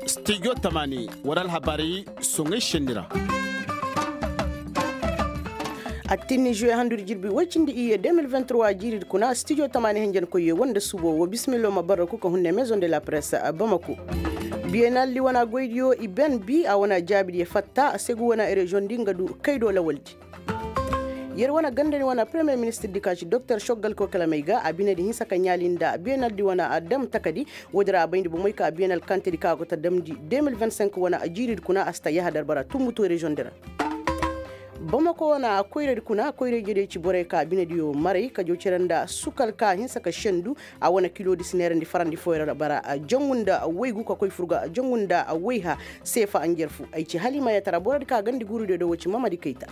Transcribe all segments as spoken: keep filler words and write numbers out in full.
Stijo tamani war alhabaari soŋay senni ra. Attinni juwe handudi jirbi woy cindi iyye deux mille vingt-trois jiiridi kuna stijo tamani henjenkoyyo woo nda suubo woo bisimillo ma barraku ka hunne maison de la presse bamako. Biyenaldi wana goydiyo i ben bi a wana jaabidiyo fatta segu wana reziyoŋdi nga du kaydo lawaldi. Yer wane gandani wane premier ministirdi ka ci doktor soggal kokalamey ga a binedi hinsa ka ɲaali nda biyenaldi wane a dam takadi. Woodi ra a bayndi bomey ka biyenal kantedi ka go ta damndi deux mille vingt-cinq wane a jiiridi kuna a si ta yahadar bara tumbutu reziyoŋdi ra. Bamako wane a koyradi kuna koyra-ijediyo ci borey ka binediyo maray ka jaw cere nda sukal ka hinsa ka sendu. A wane kilodi si neerandi farandi fooyoo ra bara jangu nda woygu ka koy furga jangu nda woyha. Seefa njarfu ay ci halimayatara borodi ka gandi guurudiyo do woo ci mamadi kayta.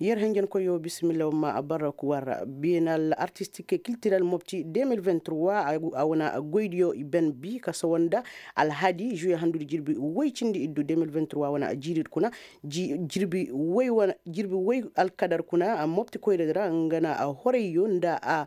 Yer henjenkoyyo bisimilla wamma barraku war biyenal artistik kiltirel mopti deux mille vingt-trois. A wana goydiyo i ben bi ka sawa nda alhadi juwe handudi jirbi woy cindi iddu deux mille vingt-trois wana jiiridi kuna. Jirbi woy alkadar kuna mopti koyradi ra nga na horayyo nda a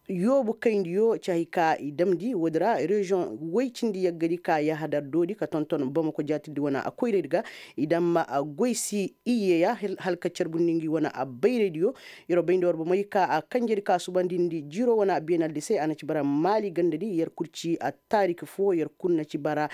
yoobu kayndiyo ci hay ka i damndi woodi ra reziyoŋ woy cindi yaggadi ka yahadar doodi ka tonton bamako jaatirdi wane a koyraydi ga. I damma goy si iyye ya hala ka carbundi ngi wane a bayraydiyo. Yer wo bayndi war bomey ka a kanjedi ka subandindi jiiro wane a biyenaldi se a na ci bara maali gandadi yer kul ci a taarik foo yer kul na ci bara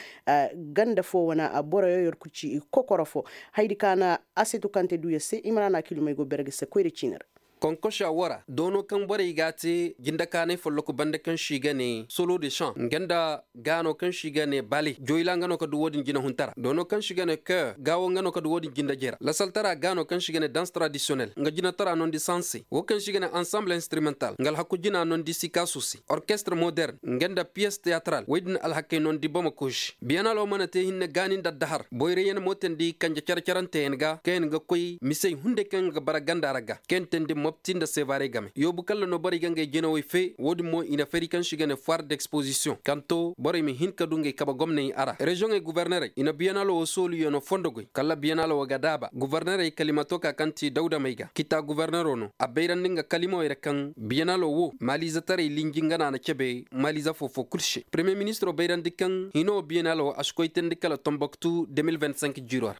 ganda foo wane a boroyo yer kul ci kokoro foo. Hayadi ka na asetu kante duu yer se imrana kilumey go bere ga se koyra ciini ra. Konkosa woo ra doono kaŋ borey g'a te jindakaanay folloku banda kaŋ se i ga ne solo de san nga nda gaano kaŋ se i ga ne bale joyla nga no ka du wo-din jinahunta ra doono kaŋ se i ga ne kœur gaawo nga no ka du wo-din jindajey ra lasaltara gaano kaŋ se i ga ne dans tradisiyonel nga jinatara nondi sanse woo kaŋ se i ga ne ansamble instrumental nga alhaku jina nondi sikaasu se orkestre moderne nga nda piyes teyataral woy-din alhakey nondi bamako se biyanalo mana te hinne gaani nda addahar boyray yaŋ mo teendi kanje cere-ceranteyaŋ ga kaŋ yaŋ ga koy misey hunday kaŋ yaŋ ga bara ganda ra ga kaŋ yaŋ teendi mopti nda seebaray game yoobu kalla no borey ga ngey jinawey fee wo-din mo i na fari kaŋ se i ga ne foire d'exposisiyoŋ kaŋ to borey ma hin ka du ngey kabe gomney a ra reziyoŋey gubarnerey i na biyanalo woo sooluyaŋo fondo goy kalla biyanalo woo ga daaba gubarnerey kalimato ka kaŋ ti dawda may ga kita gubarnero no a bayrandi nga kalimawey ra kaŋ biyanalo woo maaliizetaray linji nga no a na cebe maaliize foo-foo kul se premiye ministiro bayrandi kaŋ hino biyanalo woo a si koy teendi kala tomboktu deux mille vingt-cinq jiiro ra.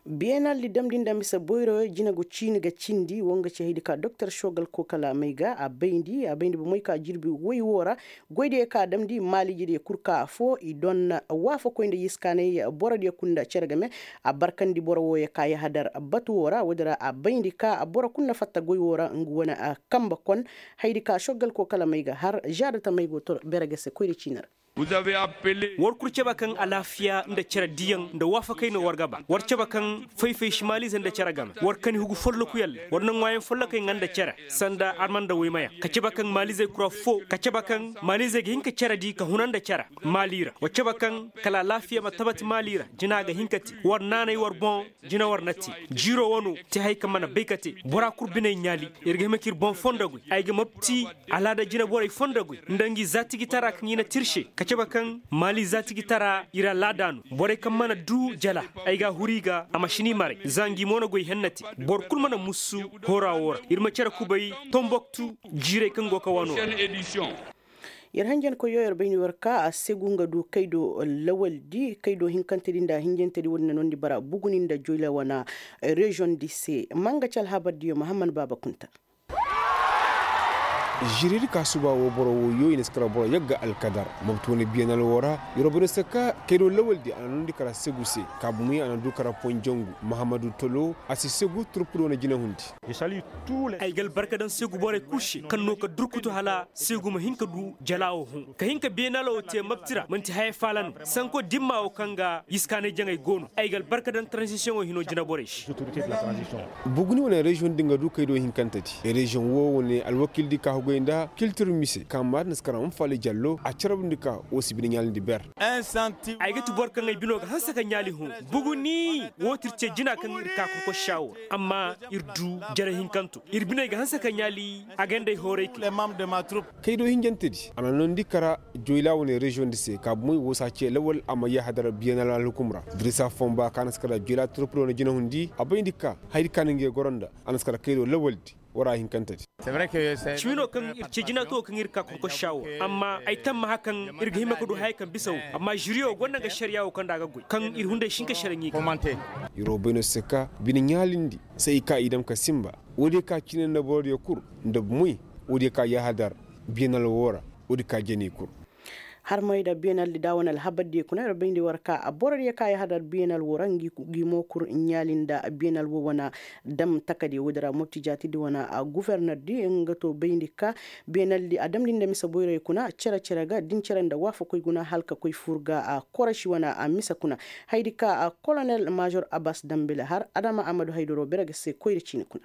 Biyenaldi damndi nda mise boyroyo jine go ciini ga cindi woo nga ci hayadi ka doktor sogal kokalamey ga a bayndi a bayndi bomey ka jirbi woy woo ra goydiyey ka a damndi maaliijediyo kul ka afoo i doŋ waafakoy nda yiskaanay borodiyo kul nda cere game. A barkandi boro wooyo ka yahadar batu woo ra woodi ra a bayndi ka boro kul na fatta goy woo ra nga wane a kambe kon. Hayadi ka sogal kokalamey ga har žaada tamey go to bere ga se koyra ciini ra. War kul cabe kaŋ alaafiya nda cere diyaŋ nda waafakay no war ga ba war cabe kaŋ fay-fay si maaliize nda cere game war kani hugu folloku yalle war na ŋwaayaŋ follokey ŋwa nda cere sanda arma nda woymayaŋ ka cabe kaŋ maaliizey kul affoo ka cabe kaŋ maaliizey ga hin ka cere di ka huna nda cere maali ra war cabe kaŋ kala alaafiya ma tabati maali ra jina ga hin ka te war naanay war boŋ jina war na te. Jiiro wano te haya kaŋ mana bay ka te bora kul biney ɲaali ir ga hima k'ir boŋ fondo goy ay ga mopti alaada jinaborey fondo goy nda ngi zaatijitara kaŋ i na te ir se ka cabe kaŋ maali zaatijitara ir alaada no borey kaŋ mana du jala ay ga a huru i ga a ma si ni maray za ngi mo na goy henna te boro kul mana musu hora wo ra ir ma cere kubay tomboktu jiirey kaŋ go ka wano ra. Yer hanjankoyyo yer bay ni war ka a segu nga du kaydo lawaldi kaydo hinkantedi nda hinjantedi wo-din na noondi bara buguni nda joyla wana reziyoŋdi se ma nga ci alhabardiyo mahamman baaba kunta. Žiridi ka suba wo boro wo yo i na si kara boro yagga alkadar mabtu wane biyanal wo ra. Yer wo bay ni se ka kaydo lawaldi a na noondi kara segu se kaabu muy a na du kara ponjangu mahamadu tolo a si segu turpudi wane jinahundi. Ay ga albarka daŋ seegu borey kul se kaŋ no ka durkutu hala seegu ma hin ka du jala wo hõ ka hin ka beenala wo te mabti ra man'ti haya faala no sanko dimma wo kaŋ ga yiskaanay jaŋay go no ay ga albarka daŋ taranzisiyoŋo hino jinaborey se. Buguni wane reziyoŋ din ga du kay do hinkantedi reziyoŋ wo wane alwakildi ka hugay nda kiltir mise kaŋ maadin si kara ma faali jallo a carabndi ka wo si bine ɲaalindi ber. Ay ga ti boro kaŋ ay bino ga hanse ka ɲaali hõ buguni. Wo ti ir ce jina kaŋ ir ka ka koy saawur amma ir du jare hinkanto ir biney ga hanse ka ɲaali. A gandey hooray kay. Kaydo hinjantedi a na noondi kara joyla wane reziyoŋdi se ka bumey wo si a ce lawal a ma yahadar biyanal alhukum ra. Dirisa fomba ka na si kara joyla turpuro na jinahundi a bayndi ka haydi ka na ngey goro nda a na si kara kaydo lawaldi. Wara hinkantedi. Cimi no kaŋ ir ce jinatu wo kaŋ ir ka kurkosa wo, amma ay tammaha kaŋ ir ga hima ka du hayey kaŋ bisa wo. Amma žiriyo gonda nga šariya wo kaŋ da a ga goy kaŋ ir hunday si hin ka šara ɲi ga. Ir wo bay no se ka bine ɲaalindi se i ka i dam ka sinba. Woodiyo ka cine nda borodiyo kul nda moy. Woodiyo ka yahadar biyanal wo ra. Woodiyo ka jani kul. Harmay nda biyanal di da wane alhabar diyo kuna ir bayndi war ka borodiyo ka yahadar biyanal wo ra ngi mo kul ɲaali nda biyanal wo wane. Dam takadiyo woodi ra mopti jaati di wane guferner di nga to bayndi ka biyanal di a damndi nda mise boyroyo kuna cere cere ga din cere nda waafakoy guna hala ka koy fur ga koroši wane mise kuna. Haydi ka kolonel major abbas dambele har adama amadu haydoro bere ga se koyra ciini kuna.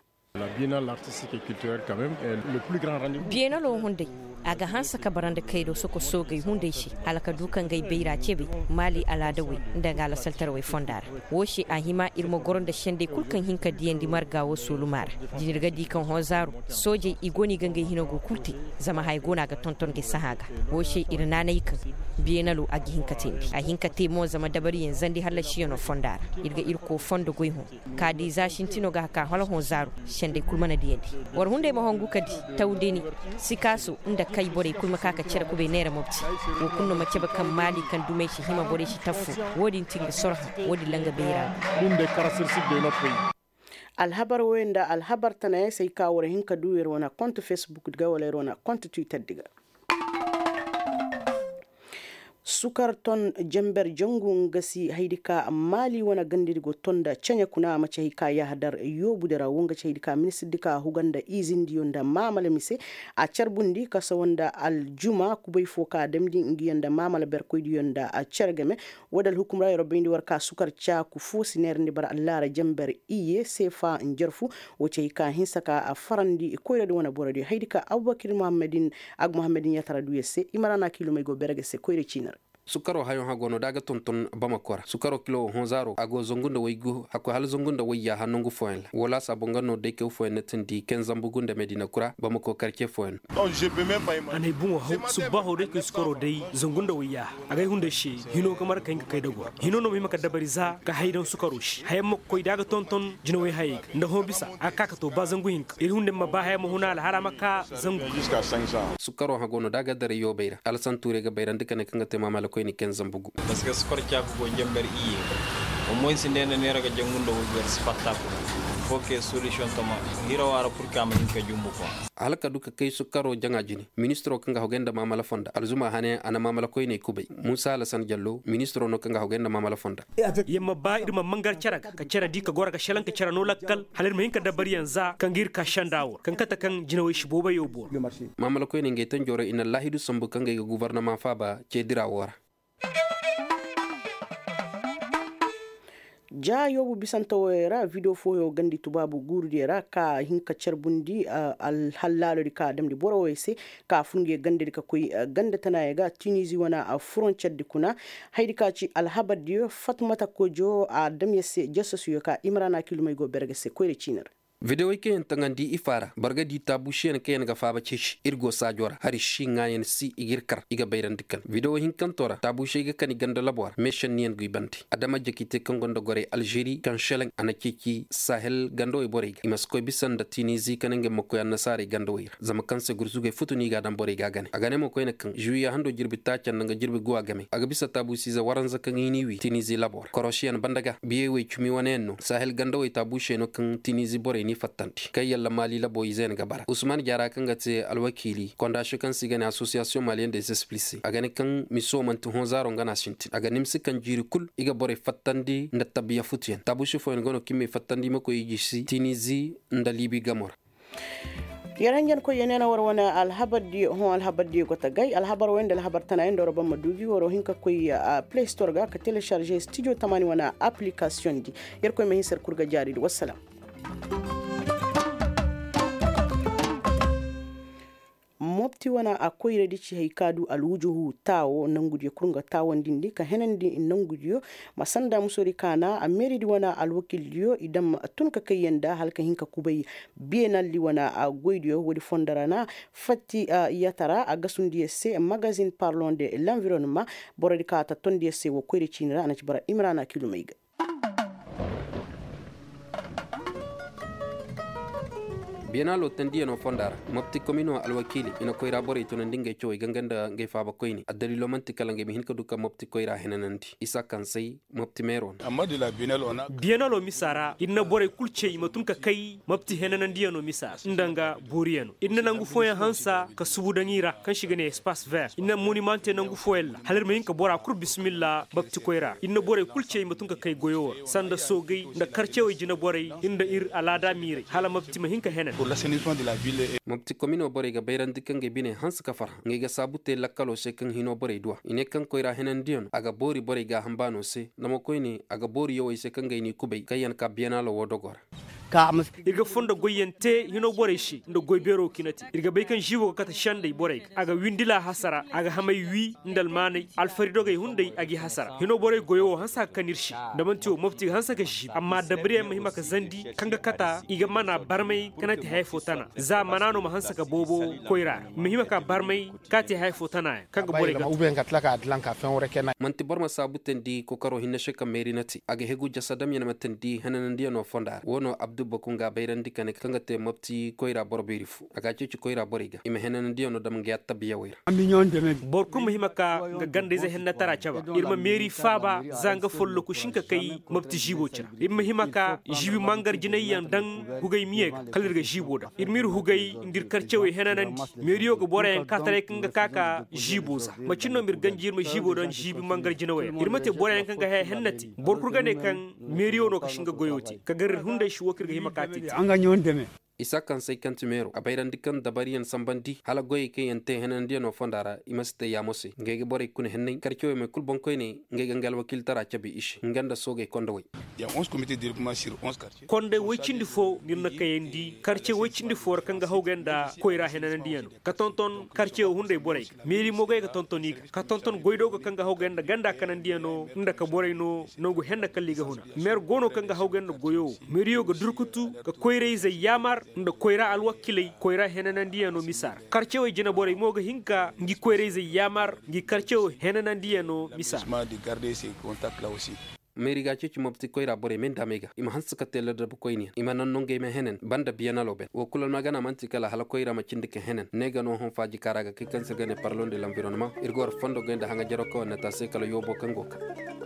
Biyanalo hunday a ga hanse ka bara nda kaydo soko soogey hunday se hala ka du ka ngay bayra cebe maali alaadawey nda nga alasaltarawey fonda ra. Woo se a hima ir ma goro nda sendey kul kaŋ hin ka diyandi marga woo sooluma ra. Din ir ga di kaŋ hoozaaro soojey i go no i ga ngay hino go kul te. Zama haya go no a ga tonton ga ay sahã ga. Woo se ir naanay kaŋ biyanalo a ga hin ka teendi a hin ka te mo zama dabariyaŋ zandi hallasiyanoo fonda ra. Ir ga irko fondo goy hõ. Ka di za sintino ga ka hala hõ zaaro. Sendey kul mana diyandi. War hunday ma hongu ka di tawdeni. Sikaaso nda kay borey kul ma ka ka cere kubay neera mopti. Woo kul no ma cebe kaŋ maali kaŋ dumey si hima borey si taffu. Woo din ti nga sorha. Woo din langa bayra. Alhabar woy nda alhabar tanayaŋ se ay ka war hin ka du ir wane kont facebook di ga wala ir wane kont twitter di ga. Sukar ton jamber jangu nga si haydi ka maali wane gandadi go ton nda ceɲe kuna a ma ci hay ka yahadar yoobudi ra wo nga ci haydi ka ministirdi ka huga nda izindiyo nda maamala mise. A carbundi kasawa nda aljuma kubay fo ka damndi ngiyo nda maamala berkoydiyo nda cer game. Woodi alhukum ra yer bayndi war ka sukar caaku fo si neerandi bara allaara jamber iye seefa njarfu. Wo ci hay ka hinsa ka a farandi koyradi wane borodiyo haydi ka abubakir muhammadin. Ag muhammadin yatara du yer se i ma ra na kiilumey go bere ga se koyra ciini ra. Sukaro hayoŋ hago no da a ga tonton bamako ra sukaro kilo wo hõ zaaro a go zangu nda waygu hakkoy hala zangu nda wayyaaha nangu fooyaŋ ra woo laasaabo nga no day kay fooyaŋ na tindi kaŋ zambugu nda medina kura bamako karce fooyaŋ. Anay boŋo haw subbaho day kay sukaro day zangu nda wayyaaha a gay hunday se. Hino ga markay nga kay da goro hino no ma hima ka dabari za ka hay daŋ sukaro se hayaŋ ma koy da a ga tonton jinawey hayey ga nda hõ bisa a ga ka ka to ba zangu hinka ir hunday ma ba hayaŋ ma huna alhala ma ka zangu. Sukaro hago no da a ga daray yoobey ra alasan tuuray ga bayrandi ka ne kaŋ ga te maamala koyne kaŋ zambugu. Paske sukar caaku go jamber iyye. Omoy si neena neera ga jangu nda waygu yar si fatta kuna. Fo ke solution toma hirawa ra purka ma hin ka jumbu kwa. Hala ka du ka kay sukaro jaŋa jine ministiro kaŋ ga hogay nda maamala fonda alzuma hane a na maamala koyney kubay. Muusa alasan jallo ministiro no kaŋ ga hogay nda maamala fonda. Yer ma ba ir ma mangar cere ga ka cere di ka goro ga šelaŋ ka cere no lakkal hala ir ma hin ka dabariyaŋ za kaŋ ga ir ka senda wo ra kaŋ kate kaŋ jinawey si booboyo booro. Maamala koyney ngey tanjoo ra i na laahidu sambu kaŋ ga ay ga gubarnama faaba ce dira wo ra. Ja yoobu bisante woyey ra video fooyo gandi tubaabu guurudiyo ra ka hin ka carbundi. Alhallaalodi ka a damndi boro woyey se ka a fur nguyo gandadi ka koy ganda tanaayey ga tinizi wane furoncerdi kuna. Hayadi ka ci alhabardiyo fatmata kojo a dam yer se jasasuyo ka imrana kilumey go bere ga se koyra ciini ra. Videwoy kaŋ yaŋ taŋandi ifa ra boro ga di taabuusiyaŋ kaŋ yaŋ ga faaba ceeci ir go saajo ra hari si ŋaayan si i g'ir kar i ga bayrandi kal videwo hinkanto ra taabuusey ga kani ganda labo ra meesenniyaŋ go i bande adama jakite kaŋ gonda gorey alžeri kaŋ seleŋ a na ceeci sahel gandawey borey ga i ma si koy bisa nda tinizi kala ngey ma koy annasaarey gandawey ra zama kaŋ se gurzugey futu no i g'a daŋ borey ga a gane a gane mo koyne kaŋ žuwiya hando jirbi taaca nda nga jirbi guwa game a ga bisa taabuusiize waranza kaŋ i n'i wi tinizi labo ra korosiyaŋ banda ga biyey wey cumi wane yaŋ no sahel gandawey taabuusey no kaŋ tinizi borey n'i fattandi kaŋ yalla maali labo ize yaŋ ga bara usman jaara kaŋ ga te alwakiili kondaasiyo kaŋ se i ga ne asosiyasiyoŋ maliyen de zespli se a ga ne kaŋ miso manti hõ zaaro nga no a sintin a ga nimsi kaŋ jiiri kul i ga borey fattandi nda tabiya futuyaŋ taabuusi fooyaŋ go no kaŋ i m'ey fattandi i ma koy i jisi tinizi nda liibi gamo ra. Yer hanjankoy yer ne na war wane alhabar diyo hõ alhabar diyo go ta gay alhabar wey nda alhabar tana yaŋ nda war ban ma du gi waro hin ka koy play store ga ka telecharge studio tamaani wane application di. Yer koy ma hin se yer kul ga jaari di wassalam. Mopti wane a koyradi ci hay ka du alwujuhu taawo nangudiyo kul nga taawandindi ka henandi nangudiyo. Ma sanda musori ka na a meeridi wane alwakildiyo i daŋ tun ka kayyaŋ nda hala ka hin ka kubay beenaldi wane a goydiyo woodi fondo ra na fatti yatara a gasundi yer se magazin parlon de l'environnement. Borodi ka a tattondi yer se wo koyri ciini ra a na ci bara imrana kilumey ga. Biyanaalo tendiyanoo fonda ra, mopti komino alwakiili i na koyra borey tunandi ngey cawey ganga nda ngey faabakoyni addaliiloo man'ti kala ngey ma hin ka du ka mopti koyra henanandi isa kaŋ say mopti meeroo no. Biyanaloo misa ra ir na borey kul cey i ma tun ka kay mopti henanandiyanoo misa ra nda nga booriyanoo ir na nangu fooyaŋ hansa ka subu daŋ i ra kaŋ se i ga ne espace ver ir na monimante nangu fooyaŋ ra hala ir ma hin ka bora kul bismillah mopti koyra ra ir na borey kul cey i ma tun ka kay goyo ra sanda soogey nda karcewey jineborey nda ir alaada miirey hala mopti ma hin ka henan. Mopti kominoo borey ga bayrandi kaŋ ga i bine hanse ka farhã ngey ga saabu te lakkaloo se kaŋ hinoo borey du a i ne kaŋ koyra henandiyanoo a ga boori borey gaaham baanoo se nda mo koyne a ga boori yawey se kaŋ ga ay n'i kubay kaŋ yaŋ ka biyanaaloo woo dogoo ra. Ir ga fondo goyyaŋ te hinoo borey se nda goy beeroo kaŋ i na te ir ga bay kaŋ žiiboo ga kate sendey borey ga a ga windi laa hasara a ga hamay wii nda almaanay alfaridogey hunday a g'i hasara hinoo borey goyoo woo hanse ka kan ir se nda man'ti woo mopti ga hanse ka žiibi amma dabariyaŋ ma hima ka zandi kaŋ ga kata i ga mana barmay kaŋ na te haya foo tana za mana no ma hanse ka boobo koyra ra i ma hima ka barmay kaŋ a te haya foo tana yaŋ kaŋ ga borey ga tun. Man'ti boro ma saabu teendi kokaroo hinne se kaŋ meeri na te a ga hegu jasadamyaŋ ma teendi henanandiyaŋo fonda ra woo no abdu baku nga a bayrandi ka ne kaŋ ga te mopti koyra boro beeri foo a ga a ceeci koyra borey ga i ma henanandiyaŋo dam nga yattabi yawey ra. Boro kul ma hima ka nga ganda-ize hennatara caba ir ma meeri faaba za nga folloku si hin ka kay mopti žiiboo cira ir ma hima ka žiibi mangar jinayyaŋ daŋ hugay miyey ga kala ir ga žiiboo daŋ ir m'ir hugay nda ir karcewey henanandi meeriyo ga boroyaŋ ka taray kaŋ ga ka ka žiiboo za macin no m'ir ganji ir ma žiiboo daŋ žiibi mangar jinawey ra ir ma te boroyaŋ kaŋ ga haya hennate boro kul ga ne kaŋ meeriyo no ka si nga goyoo te ka gar ir hunday si woo kaŋ ir ga hima ka te te. Isa kaŋ say kaŋ ti meeroo a bayrandi kaŋ dabariyaŋ sanbandi hala goyey kaŋ yaŋ te henandiyaŋo fonda ra i ma si te yaamo se ngey ga borey kuna henney karcewey may kul boŋkoyney ngey ga nga alwakiiltara cabe i se nga nda soogey kondowey. Kondey woy cindi foo no ir na kayandi karce woy cindi foo ra kaŋ ga hawgay nda koyra henanandiyaŋo ka tonton karce wo hunday borey ga meeri mo goy ga tonton i ga ka tonton goydoogo kaŋ ga hawgay nda ganda kanandiyaŋo nda ka borey no nangu henne kalla i ga huna meer go no kaŋ ga hawgay nda goyo wo meeriyo ga durkutu ka koyra-izey yaamar nda koyra alwakiley koyra henanandiyaŋo misa ra karcewey jinaborey mo ga hin ka ngi koyra-izey yaamar ngi karcewo henanandiyaŋo misa ra. Meeri ga a ceeci mopti koyra borey me nda a may ga i ma hanse ka te ladabkoyniyaŋ i ma naŋ no ngey ma henen banda biyanaloo ben woo kul almagana man'ti kala hala koyra ma cindi ka henen ne ga no hõ faaji kaŋ ra a ga kay kaŋ se ir ga ne parlon de lanvironnement ir ga war fondo goy nda haŋajaroo kaŋ war na te a se kala yoobo kaŋ go ga ka.